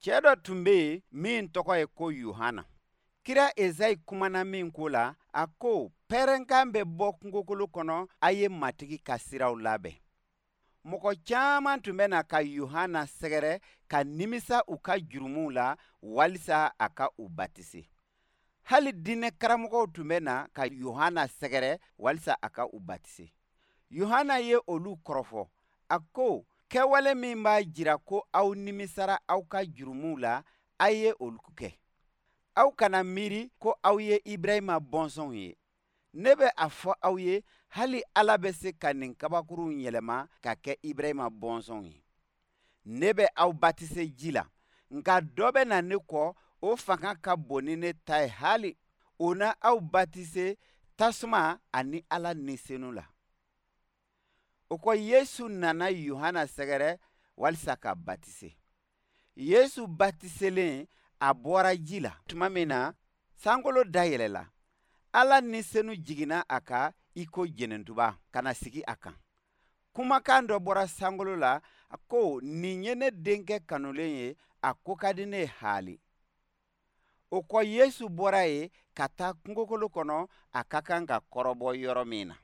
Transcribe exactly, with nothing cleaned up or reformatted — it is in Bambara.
Cɛɛ dɔ tun bɛ yen min tɔgɔ ye ko Yohana. Kira Ezayi kumana min ko la, a ko pɛrɛnkan bɛ bɔ kungokolo kɔnɔ, a ye Matigi ka siraw labɛn. Mɔgɔ caman tun bɛ na ka Yohana sɛgɛrɛ ka nimisa u ka jurumuw la walisa a ka u batise. Hali diinɛ karamɔgɔw tun bɛ na ka Yohana sɛgɛrɛ walisa a ka u batise. Yohana ye olu kɔrɔfɔ, a ko kɛwale min b'a jira ko aw nimisara aw ka jurumuw la, a ye olu kɛ. Aw kana miiri ko aw ye Ibrahima bɔnsɔnw ye. Ne bɛ a fɔ aw ye, hali Ala bɛ se ka nin kabakurunw yɛlɛma ka kɛ Ibrahima bɔnsɔnw ye. Ne bɛ aw batise ji la, nka dɔ bɛ na ne kɔ, o fanga ka bon ni ne ta ye hali. O na aw batise tasuma ani Ala Ni Senu la. O kɔ Yesu nana Yohana sɛgɛrɛ walisa ka batise. Yesu batiselen, a bɔra ji la tuma min na, sankolo dayɛlɛla. Ala Ni Senu jiginna a kan i ko jɛnɛntuba ka na sigi a kan. Kumakan dɔ bɔra sankolo la, a ko nin ye ne denkɛ kanulen ye, a ko ka di ne ye haali. O kɔ Yesu bɔra yen ka taa kungokolo kɔnɔ, a ka kan ka kɔrɔbɔ yɔrɔ min na.